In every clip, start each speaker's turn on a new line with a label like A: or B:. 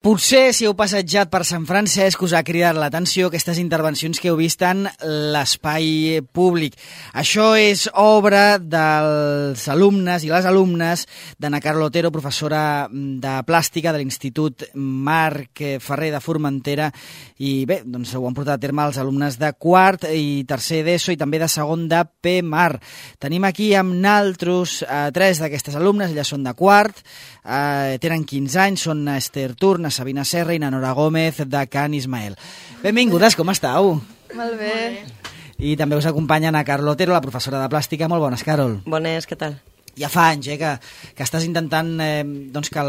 A: Potser, si heu passejat per Sant Francesc, us ha cridat l'atenció aquestes intervencions que heu vist en l'espai públic. Això és obra dels alumnes i les alumnes d'Anna Carla Otero, professora de plàstica de l'Institut Marc Ferrer de Formentera. I bé, doncs ho han portat a terme els alumnes de quart i tercer d'ESO i també de segon de PMAR. Tenim aquí amb naltros tres d'aquestes alumnes, elles són de quart, tenen 15 anys, són Esther Turn, Sabina Serra i na Nora Gómez de Can Ismael. Benvingudes, com estàu?
B: Molt bé.
A: I també us acompanya Anna Carla Otero, la professora de plàstica. Molt bones, Carol.
C: Bones, què tal?
A: Ja fa anys que estàs intentant doncs que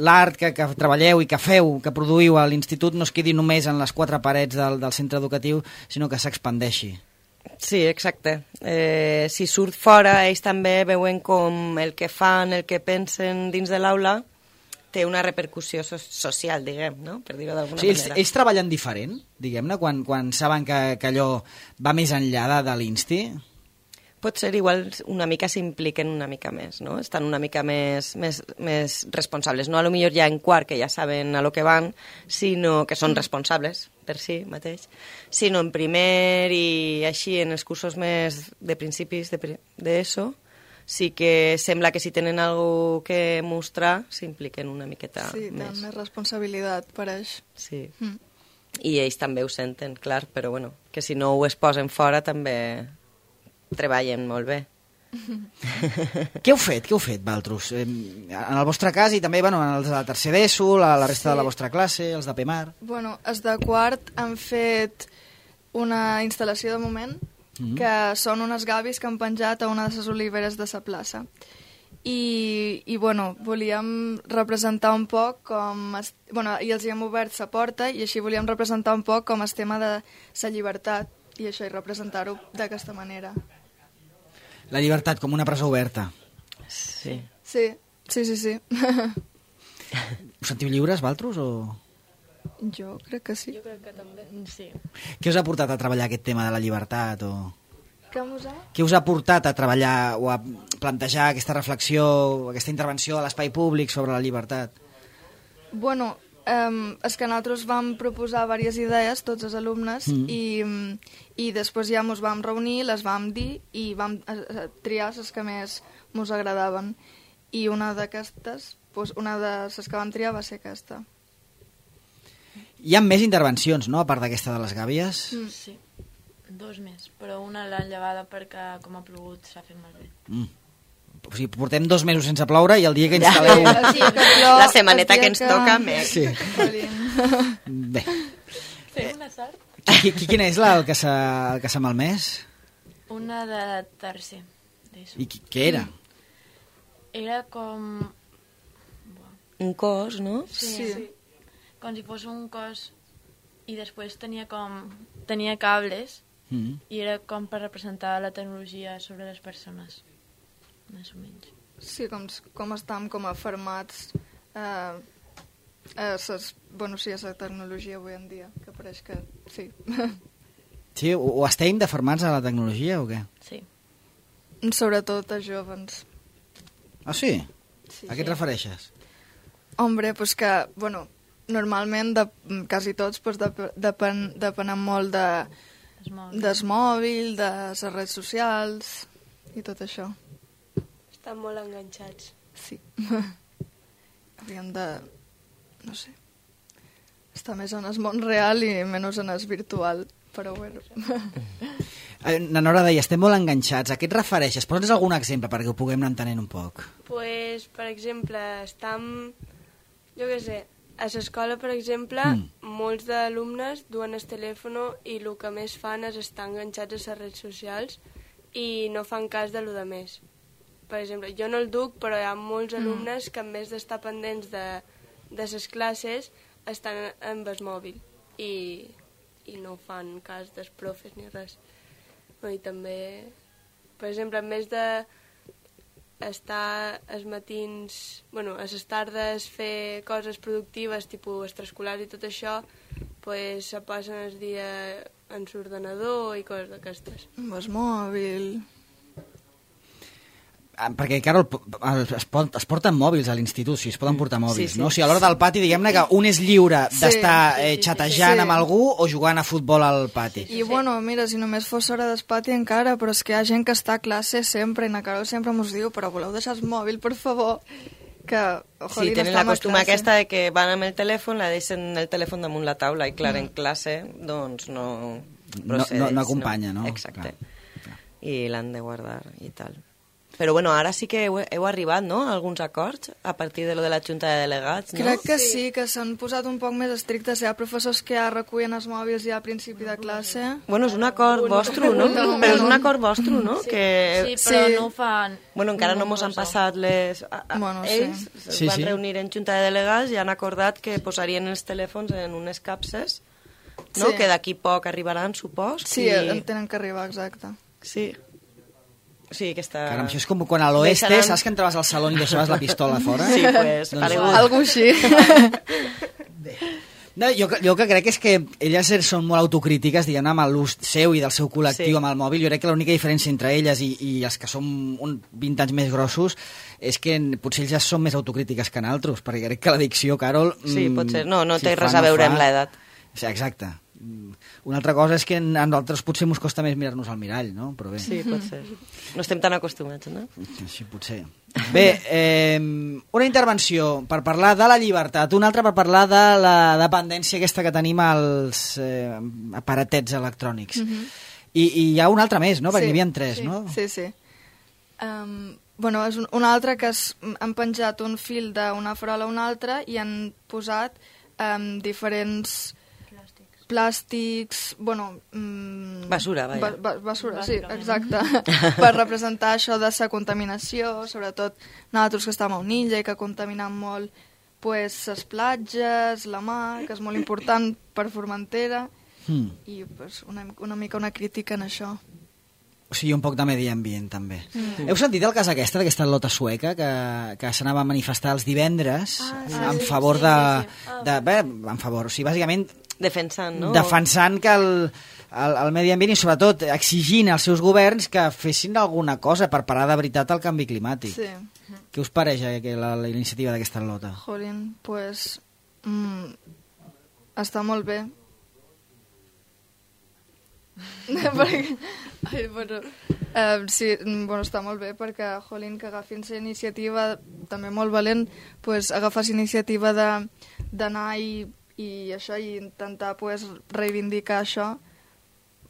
A: l'art que treballeu i que feu, que produïu a l'institut no es quedi només en les quatre parets del centre educatiu, sinó que s'expandeixi.
C: Sí, exacte. Si surt fora, ells també veuen com el que fan, el que pensen dins de l'aula té una repercussió social, diguem, no? Per dir-ho d'alguna manera.
A: Ells treballen diferent, diguem-ne, quan saben que allò va més enllà de l'Insti?
C: Pot ser igual una mica s'impliquen una mica més, no? Estan una mica més responsables. No a lo millor ja en quart, que ja saben a lo que van, sinó que són responsables per si mateix, sinó en primer i així en els cursos més de principis d'ESO, sí que sembla que si tenen alguna que mostrar s'impliquen una miqueta més.
B: Sí, tenen més responsabilitat, pareix.
C: Sí. I ells també ho senten, clar, però bueno, que si no ho es posen fora també treballen molt bé.
A: Què heu fet, Valtros? En el vostre cas i també en els de tercer d'ESO, la resta de la vostra classe, els de PMAR...
B: Bueno, els de quart han fet una instal·lació de moment, que són unes gavis que han penjat a una de les oliveres de la plaça. I bueno, volíem representar un poc com... i els hi hem obert la porta i així volíem representar un poc com el tema de la llibertat i això, i representar-ho d'aquesta manera.
A: La llibertat com una presó oberta.
C: Sí.
B: Sí.
A: Us sentiu lliures, Valtros, o...?
B: Jo crec que sí.
D: Jo crec que també, sí.
A: Què us ha portat a treballar aquest tema de la llibertat?
B: Què
A: us ha portat a treballar o a plantejar aquesta reflexió, aquesta intervenció a l'espai públic sobre la llibertat?
B: Bueno, és que nosaltres vam proposar diverses idees, tots els alumnes, i després ja ens vam reunir, les vam dir i vam triar les que més ens agradaven. I una d'aquestes, una de les que vam triar va ser aquesta.
A: Hi ha més intervencions, no?, a part d'aquesta de les gàbies?
D: Sí, dos més, però una l'han llevada perquè com ha plogut s'ha fet malbé.
A: O sigui, portem 2 mesos sense ploure i el dia que instal·leu...
C: La setmaneta que ens toca, més.
A: Sí. Bé.
D: Fem una sort?
A: Quina és el que s'ha malmès?
D: Una de tercer.
A: I què era?
D: Era com...
C: Un cos, no?
D: Sí. Com si fos un cos i després tenia cables i era com per representar la tecnologia sobre les persones, més o menys.
B: Sí, com estàvem com afermats a la tecnologia avui en dia, que pareix que sí.
A: Sí, o estem defermats a la tecnologia o què?
D: Sí.
B: Sobretot a jovens.
A: Ah, sí?
B: Sí.
A: A què et refereixes?
B: Hombre, pues que, bueno, normalment quasi tots depenen molt del mòbil, de les redes socials i tot això.
E: Estan molt enganxats.
B: Sí. Hauríem de, no sé, estar més en el món real i menys en el virtual, però bueno.
A: Na Nora deia, estem molt enganxats. A què et refereixes? Posa'ns algun exemple perquè ho puguem anar entenent un poc.
E: Pues, per exemple, jo què sé, a l'escola, per exemple, molts d'alumnes duen el telèfon i el que més fan és estar enganxats a les redes socials i no fan cas de lo de més. Per exemple, jo no el duc, però hi ha molts alumnes que en vez d'estar pendents de les classes estan amb el mòbil i no fan cas dels profes ni res. I també, per exemple, en vez de estar els matins, a les tardes fer coses productives, tipus extraescolars i tot això, pues se passen el dia en l'ordenador i coses d'aquestes.
B: Amb el mòbil...
A: perquè, Carol, es porten mòbils a l'institut, si es poden portar mòbils,
C: Sí, sí.
A: no? O sigui, a l'hora del pati, diguem-ne que un és lliure d'estar xatejant amb algú o jugant a futbol al pati.
B: I bueno, mira, si només fos hora d'espati encara, però és que hi ha gent que està a classe sempre, i na Carol sempre mos diu, però voleu deixar el mòbil, per favor, que
C: Sí, tenen la costum aquesta de que van amb el telèfon, la deixen el telèfon damunt la taula i, clar, en classe, doncs no procedeix.
A: No acompanya, no?
C: Exacte.
A: Clar.
C: I l'han de guardar i tal. Però bueno, ara sí que heu arribat, no?, a alguns acords a partir de lo de la Junta de Delegats, no?
B: Crec que sí, que s'han posat un poc més estrictes. Hi ha professors que ja recullen els mòbils ja a principi de classe.
C: Bueno, és un acord vostre, no? Però és un acord vostre, no?
D: Sí,
C: Que...
D: sí, però
B: Sí.
D: no ho fan...
C: Bueno, encara no mos han passat les...
B: Bueno, sí.
C: Ells es
A: Sí,
C: van
A: sí.
C: reunir en Junta de Delegats i han acordat que posarien els telèfons en unes capses, no?
B: Sí.
C: Que d'aquí poc arribaran, supos.
B: Sí,
C: i...
B: en tenen que arribar, exacte.
C: Sí. Sí, aquesta...
A: Caram, això és com quan a l'oeste,
C: Deixaran-
A: saps que entraves al saló i deixaves la pistola fora?
C: Sí, pues,
A: Doncs-
C: paregut.
B: Algo així.
A: No, jo que crec és que elles són molt autocrítiques, diguem, amb l'ús seu i del seu col·lectiu
C: Sí.
A: amb el mòbil. Jo crec que l'única diferència entre elles i els que som 20 anys més grossos és que potser ells ja són més autocrítiques que nosaltres, perquè crec que l'addicció, Carol...
C: Sí, pot ser. No
A: si
C: té
A: fa,
C: res a veure
A: fa.
C: amb l'edat.
A: Sí, exacte. Una altra cosa és que a nosaltres potser ens costa més mirar-nos al mirall, no? Però bé,
C: Sí, pot ser. No estem tan acostumats, no?
A: així potser. Bé, una intervenció per parlar de la llibertat, una altra per parlar de la dependència aquesta que tenim als aparatets electrònics. I hi ha una altra més, no? Perquè n'hi havia 3,
B: sí,
A: no?
B: Sí, sí. Bueno, és una altra que han penjat un fil d'una farola a una altra i han posat diferents plàstics, bueno...
C: Basura, vaja.
B: Basura, sí, exacte. Per representar això de la contaminació, sobretot nosaltres que estem a Unilla i que contaminem molt pues, les platges, la mar, que és molt important per Formentera, i pues, una mica una crítica en això.
A: O sigui, un poc de medi ambient, també. Heu sentit el cas d'aquesta lota sueca que s'anava a manifestar els divendres en favor en favor, o sigui, bàsicament
C: Defensant, no?
A: defensant que el medi ambient i sobretot exigint als seus governs que fessin alguna cosa per parar de veritat el canvi climàtic.
B: Sí.
A: Què us pareix la iniciativa d'aquesta lota?
B: Jolín, pues... està molt bé. perquè, sí, bueno, està molt bé perquè, jolín, que agafin la iniciativa, també molt valent, pues, agafar la iniciativa d'anar i això, i intentar pues, reivindicar això,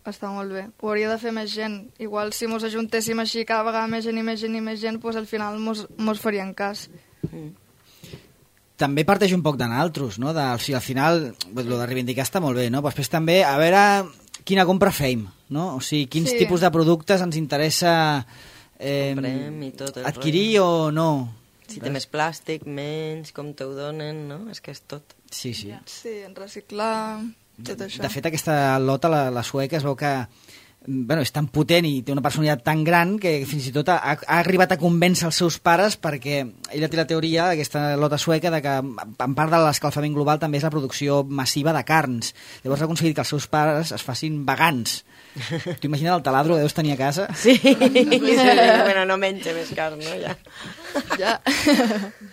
B: està molt bé. Ho hauria de fer més gent. Igual si mos ajuntéssim així cada vegada més gent i més gent i més gent, pues, al final mos farien cas.
A: També parteix un poc de naltros, no? O sigui, al final, el de reivindicar està molt bé, no? Però després també, a veure quina compra fem, no? O sigui, quins tipus de productes ens interessa
C: Comprem i tot el
A: adquirir o no.
C: Si té més plàstic, menys, com te ho donen, no? És que és tot.
A: Sí, sí.
B: Sí, en reciclar, tot això.
A: De fet, aquesta lota, la sueca, es veu que és tan potent i té una personalitat tan gran que fins i tot ha arribat a convèncer els seus pares, perquè ella té la teoria, aquesta lota sueca, de que en part de l'escalfament global també és la producció massiva de carns. Llavors ha aconseguit que els seus pares es facin vegans. T'ho imagines el taladro que deus tenir a casa?
C: Sí, bueno, no menja més carn, no?
B: Ja.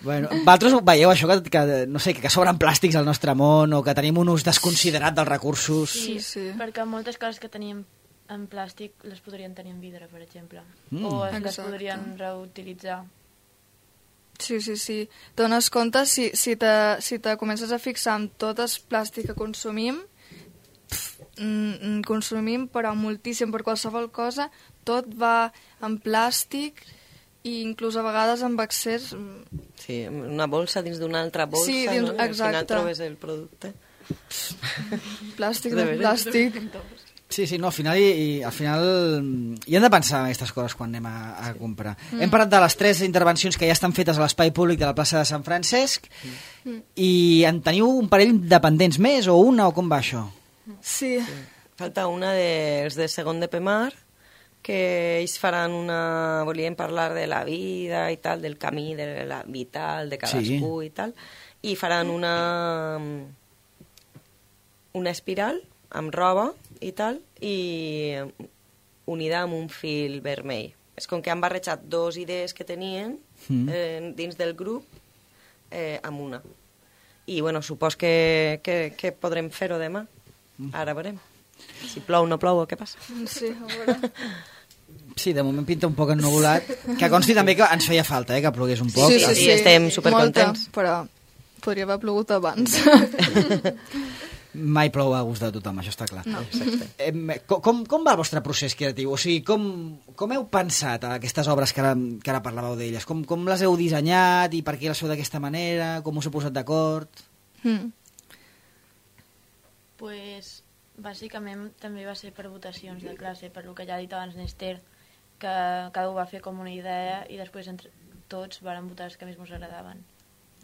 A: Bueno, vosaltres veieu això, no sé, que sobren plàstics al nostre món o que tenim un ús desconsiderat dels recursos?
B: Sí.
D: Perquè moltes coses que teníem en plàstic les podrien tenir en vidre, per exemple. O les
B: Exacte.
D: podrien reutilitzar.
B: Sí. Dones compte, si te comences a fixar en tot el plàstic que consumim, consumim però moltíssim, per qualsevol cosa, tot va en plàstic i inclús a vegades amb accés...
C: Sí, una bolsa dins d'una altra bolsa,
B: Sí,
C: no? I al final
B: exacte.
C: trobes el producte.
B: Plàstic
C: De
B: de
C: veres?
B: plàstic.
A: Sí, no, al final hi hem de pensar en aquestes coses quan anem a comprar. Hem parlat de les 3 intervencions que ja estan fetes a l'espai públic de la plaça de Sant Francesc i en teniu un parell de pendents més o una o com va això?
B: Sí.
C: Falta una dels de segon de Pemar, que ells faran una... volien parlar de la vida i tal, del camí de la vital de cadascú i tal, i faran una espiral amb roba i tal, i unida amb un fil vermell. és com que han barrejat dos idees que tenien dins del grup amb una. I, bueno, supos que podrem fer-ho demà. Ara veurem. Si plou, no plou, o què passa?
B: Sí, a veure.
A: Sí, de moment pinta un poc ennuvolat. Que consti també que ens feia falta, que plogués un poc.
C: Sí, estem supercontents.
B: Molta, però podria haver plogut abans.
A: Mai plou a gust de tothom, això està clar.
B: No.
A: Com va el vostre procés creatiu? O sigui, com heu pensat aquestes obres que ara parlàveu d'elles? Com les heu dissenyat i per què les feu d'aquesta manera? Com us heu posat d'acord?
D: Pues, bàsicament també va ser per votacions de classe, per lo que ja ha dit abans Nester, que cada un va fer com una idea i després entre tots vàrem votar els que més ens agradaven.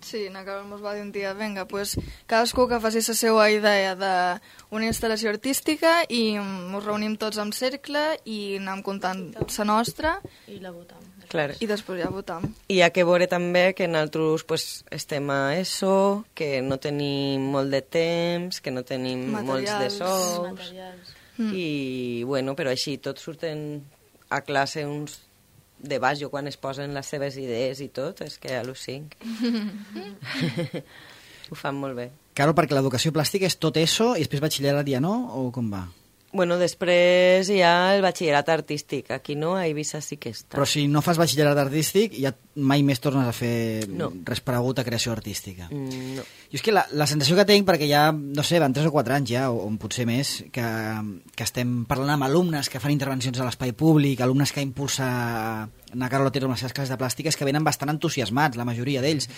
B: Sí, na Carol ens va dir un dia, vinga, pues, cadascú que faci la seva idea d'una instal·lació artística i ens reunim tots en cercle i anem contant la nostra
D: I la votam.
C: Clar.
B: i després ja votam.
C: I hi ha que veure també que nosaltres pues, estem a ESO, que no tenim molt de temps, que no tenim molts de sous,
D: Materials.
C: i bueno, però així tots surten a classe uns de baix, jo quan es posen les seves idees i tot, és que al·lucinc. Ho fan molt bé.
A: Claro, perquè l'educació plàstica és tot ESO i després batxillerat ja no? O com va?
C: Bueno, després hi ha el batxillerat artístic. Aquí no, a Eivissa sí que està.
A: Però si no fas batxillerat artístic, ja mai més tornes a fer
C: No.
A: res paregut a creació artística.
C: No.
A: Jo és que la sensació que tinc, perquè ja, no sé, van 3 o 4 anys ja, o potser més, que estem parlant amb alumnes que fan intervencions a l'espai públic, alumnes que impulsa Ana Carol Otero amb les seves classes de plàstiques, que venen bastant entusiasmats, la majoria d'ells.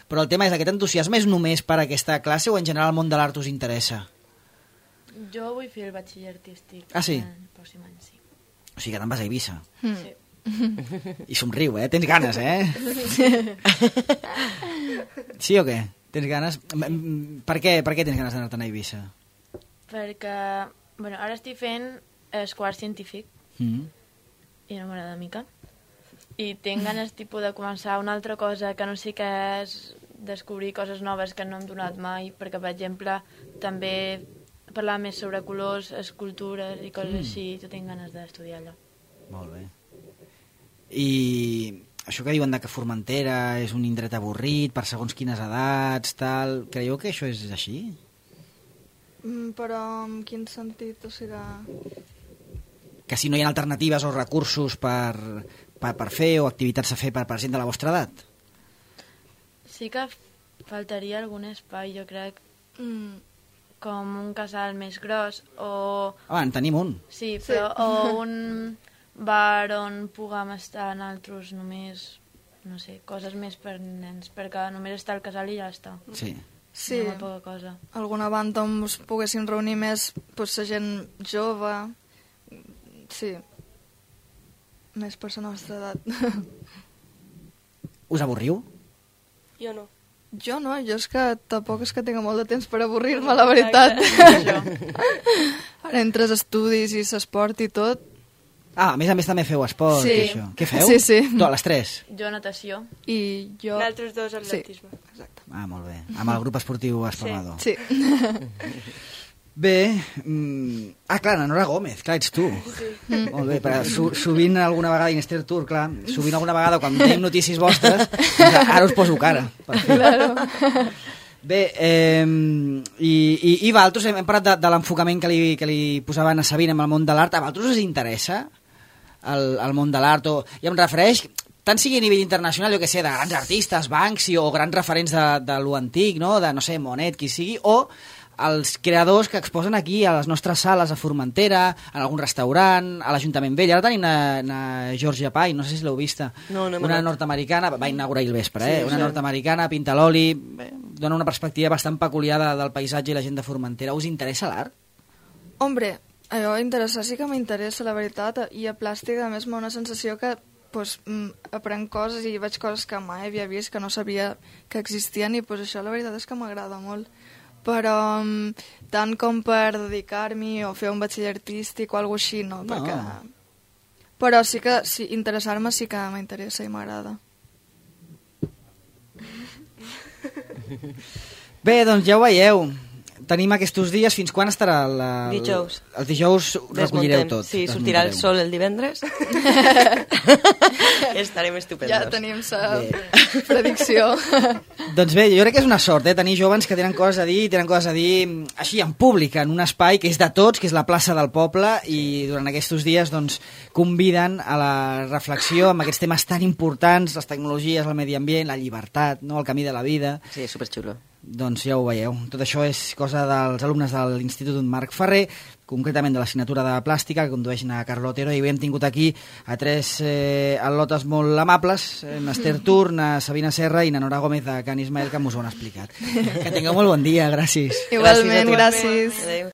A: Però el tema és, aquest entusiasme és només per a aquesta classe o en general el món de l'art us interessa?
D: Jo vull fer el batxiller artístic.
A: Ah, sí?
D: El pròxim any, sí.
A: O sigui que te'n vas a Eivissa.
D: Sí.
A: I somriu, tens ganes, Sí o què? Tens ganes? Per què tens ganes d'anar-te'n a Eivissa?
D: Perquè, bueno, ara estic fent el quart científic i no m'agrada mica. I tinc ganes tipus de començar una altra cosa que no sé què és, descobrir coses noves que no hem donat mai, perquè, per exemple, també parlar més sobre colors, escultures i coses així, jo tinc ganes d'estudiar allò.
A: Molt bé. I això que diuen que Formentera és un indret avorrit per segons quines edats, tal, creieu que això és així?
B: Però en quin sentit? O sigui...
A: Que si no hi ha alternatives o recursos per fer o activitats a fer per gent de la vostra edat?
D: Sí que faltaria algun espai, jo crec, com un casal més gros o...
A: En tenim un.
D: Sí, però o un bar on puguem estar nosaltres només, no sé, coses més per nens, perquè només està el casal i ja està.
A: Sí.
B: Sí,
D: No poca cosa.
B: alguna banda on us poguessin reunir més pues, la gent jove, sí, més per la nostra edat.
A: Us avorriu?
E: Jo no.
B: Jo no, jo és que tampoc és que tinc molt de temps per avorrir-me, la veritat. Ara, entre els estudis i l'esport i tot...
A: A més també feu esport
B: Sí.
A: i això. Què feu?
B: Sí, sí.
A: Les 3?
D: Jo natació.
B: I jo...
E: Nosaltres dos atletisme.
B: Sí, exacte.
A: Molt bé. Amb el grup esportiu Esparmador.
B: Sí.
A: Bé, clar, na Nora Gómez, clar, ets tu. Sí. Molt bé, però sovint alguna vegada, Inester Tur, clar, sovint alguna vegada quan tenim notícies vostres, ara us poso cara. Per fi.
B: Claro.
A: Bé, i vosaltres hem parlat de l'enfocament que li posaven a Sabina amb el món de l'art. A vosaltres us interessa el món de l'art? I em refereix, tant sigui a nivell internacional, jo que sé, de grans artistes, Banksy o grans referents de lo antic, no? De, no sé, Monet, qui sigui, o els creadors que exposen aquí a les nostres sales a Formentera, en algun restaurant, a l'Ajuntament Vell. Ara tenim una Georgia Pai, no sé si l'heu vista.
C: No,
A: una nord-americana, va inaugurar ahir al vespre, una nord-americana, pinta l'oli, dona una perspectiva bastant peculiar del paisatge i la gent de Formentera. Us interessa l'art?
B: Hombre, allò interessar sí que m'interessa, la veritat, i a plàstic, a més, m'ha una sensació que pues, aprenc coses i veig coses que mai havia vist, que no sabia que existien, i pues, això la veritat és que m'agrada molt. Però tant com per dedicar-m'hi o fer un batxiller artístic o alguna així, no, perquè... Però sí que interessar-me sí que m'interessa i m'agrada.
A: Bé, doncs ja ho veieu. tenim aquests dies. Fins quan estarà?
C: Dijous.
A: Els dijous recollireu tot.
C: Sí, sortirà el sol el divendres. Estarem estupendos.
B: Ja tenim la predicció.
A: Doncs bé, jo crec que és una sort, tenir joves que tenen coses a dir així en públic, en un espai que és de tots, que és la plaça del poble, i durant aquests dies doncs, conviden a la reflexió amb aquests temes tan importants, les tecnologies, el medi ambient, la llibertat, no? El camí de la vida.
C: Sí, superxulo.
A: Doncs ja ho veieu. Tot això és cosa dels alumnes de l'Institut Marc Ferrer, concretament de l'assignatura de plàstica, que condueixen a Carlo Otero, i avui hem tingut aquí a tres al·lotes molt amables, Esther Turn, Sabina Serra i Nora Gómez de Can Ismael, que ens ho han explicat. Que tingueu molt bon dia, gràcies.
B: Igualment, gràcies.
C: Adéu.